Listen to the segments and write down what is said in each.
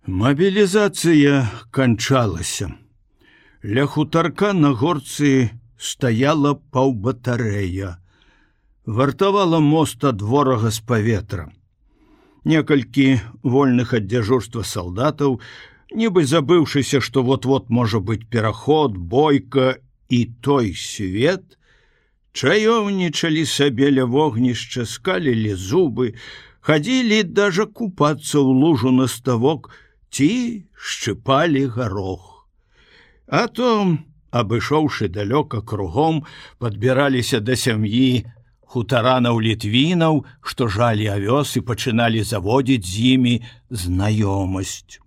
Мабілізацыя канчалася. Ля хутарка на горцы стаяла паўбатарэя. Вартавала мост ад ворага з паветра. Некалькі вольных ад дзяжурства салдатаў, нібы забыўшыся, што вот-вот можа быць пераход, бойка і той свет, чаёўнічалі сабе ля вогнішча, скалілі зубы, хадзілі даже купацца ў лужу на ставок ці шчыпалі гарох. А то, абышоўшы далёка кругом, падбіраліся да сям'і хутаранаў-літвінаў, што жалі авёс і пачыналі заводзіць з імі знаёмасць.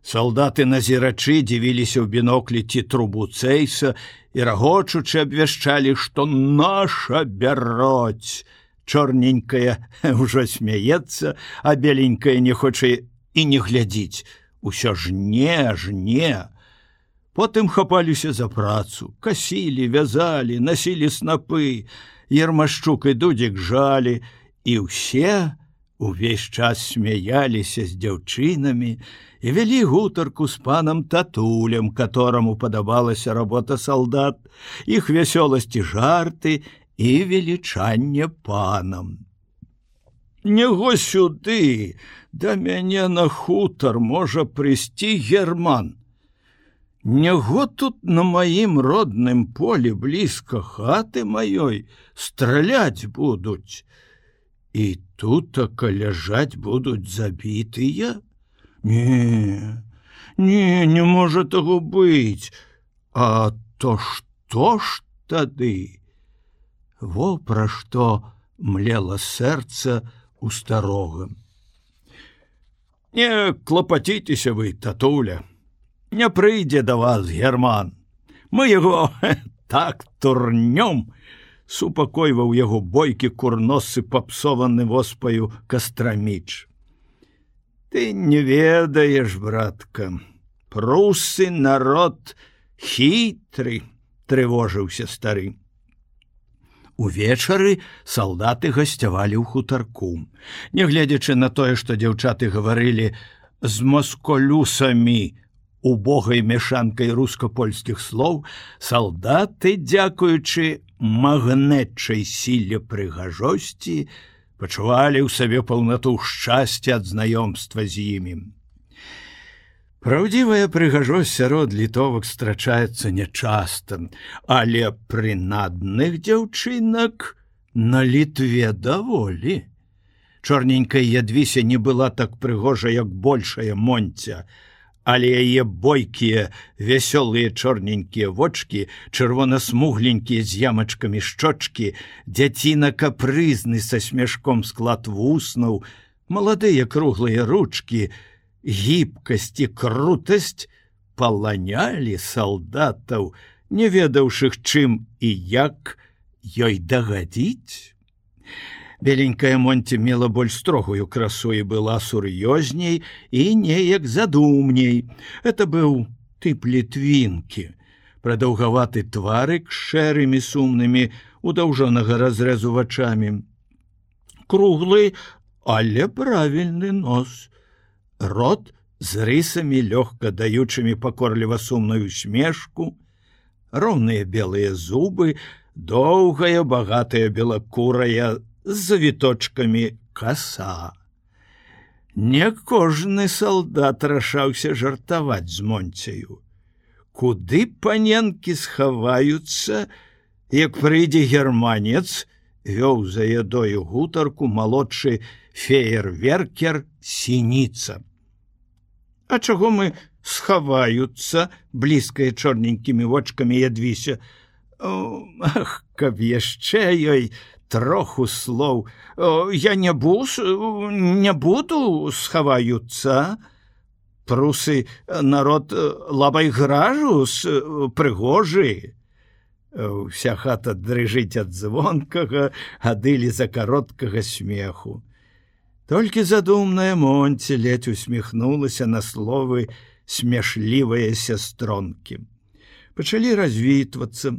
Салдаты-назірачы дзівіліся ў біноклі ці трубу цэйса і рагочучы абвяшчалі, што наша бяроць. Чорненькая ўжо смяецца, а беленькая не хоча і не глядзіць. Усё жне. Потым хапаліся за працу, касілі, вязалі, насілі снапы, Ермашчук і Дудзік жалі, і ўсе увесь час смяяліся з дзяўчынамі і вялі гутарку з панам Татулем, которому падабалася работа салдат, іх вясёласці жарты і велічанне панам. Няго сюды, да мяне на хутар можа прыйсці Герман. Няго тут на маім родным полі блізка хаты маёй страляць будуць. І тутака ляжаць будуць забітыя? Не можа таго быць. А то што ж тады? Во пра што млела сэрца у старога. Не клапаціцеся вы, Татуля. Не прыйдзе да вас Герман. Мы яго так турнём, супакойваў яго бойкі курносы папсованы воспаю Кастраміч. Ты не ведаеш, братка, прусы народ хітры, трывожыўся стары. Увечары салдаты гасцявалі ў хутарку. Нягледзячы на тое, што дзяўчаты гаварылі з масколюсамі, убогай мяшанкай руска-польскіх слоў, салдаты, дзякуючы магнетчай сіле прыгажосці, пачувалі ў сабе паўнату шчасця ад знаёмства з імі. Праўдзівая прыгажосць сярод літовак страчаецца нячаста, але прынадных дзяўчынак на Літве даволі. Чорненькая Ядвіся не была так прыгожа, як большая Монця, але яе бойкія, вясёлыя чорненькія вочкі, чырвона-смугленькія з ямачкамі шчочкі, дзяціна капрызны са смяшком склад вуснаў, маладыя круглыя ручкі, гібкасць і крутасць паланялі салдатаў, не ведаўшых, чым і як ёй дагадзіць. Беленькая Монці мела больш строгую красу і была сур'ёзней і неяк задумней. Это быў тып літвінкі, прадаўгаваты тварык з шэрымі сумнымі у даўжонага разрэзу вачамі. Круглы, але правільны нос. Рот з рысамі, лёгка даючымі пакорліва сумную смешку, роўныя белыя зубы, доўгая, багатая белакурая, з завіточкамі каса. Не кожны салдат рашаўся жартаваць з Монцею. Куды паненкі схаваюцца, як прыйдзе германец, вёў за ядою гутарку малодшы феерверкер Сініца. А чаго мы схаваюцца, блізкая чорненькімі вочкамі Ядвіся? Ах, каб яшчэ ёй троху слоў. Я не буду схаваюцца. Прусы народ лабай гражус, прыгожы. Вся хата дрыжыць ад звонкага, адылі за кароткага смеху. Толькі задумная Монці ледзь усміхнулася на словы смяшлівыя сястронкі. Пачалі развітвацца.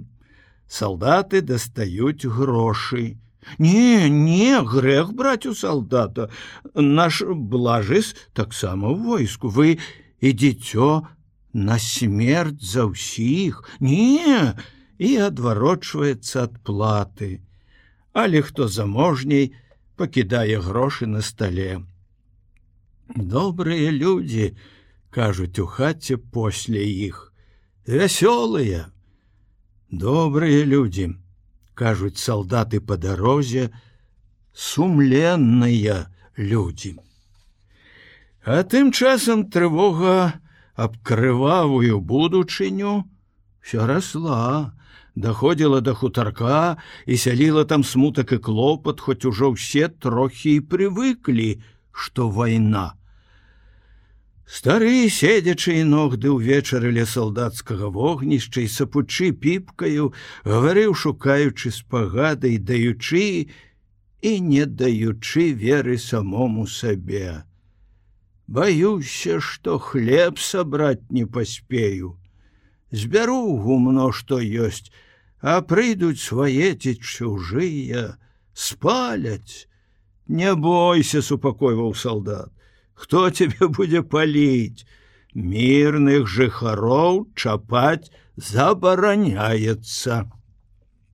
Салдаты дастаюць грошы. Не, грэх браць у салдата. Наш блажыс таксама ў войску. Вы ідзіцё на смерць за ўсіх. Не, і адварочваецца ад платы. Але хто заможней, пакідае грошы на стале. Добрыя людзі, кажуць у хаце после іх. Вясёлыя. Добрыя людзі, кажуць салдаты па дарозе, сумленныя людзі. А тым часам трывога аб крывавую будучыню ўсё расла, даходзіла да хутарка і сяліла там смутак і клопат, хоць ужо ўсе трохі і прывыклі, што вайна. Стары, седзячы і ногды ўвечары ля салдацкага вогнішча і сапучы піпкаю, гаварыў, шукаючы спагады, даючы і не даючы веры самому сабе. Баюся, што хлеб сабраць не паспею. Збяру гумно, што ёсць, а прыйдуць свае ці чужыя, спаляць. Не бойся, супакойваў салдат. Хто тебе будзе паліць? Мірных жыхароў чапаць забараняецца.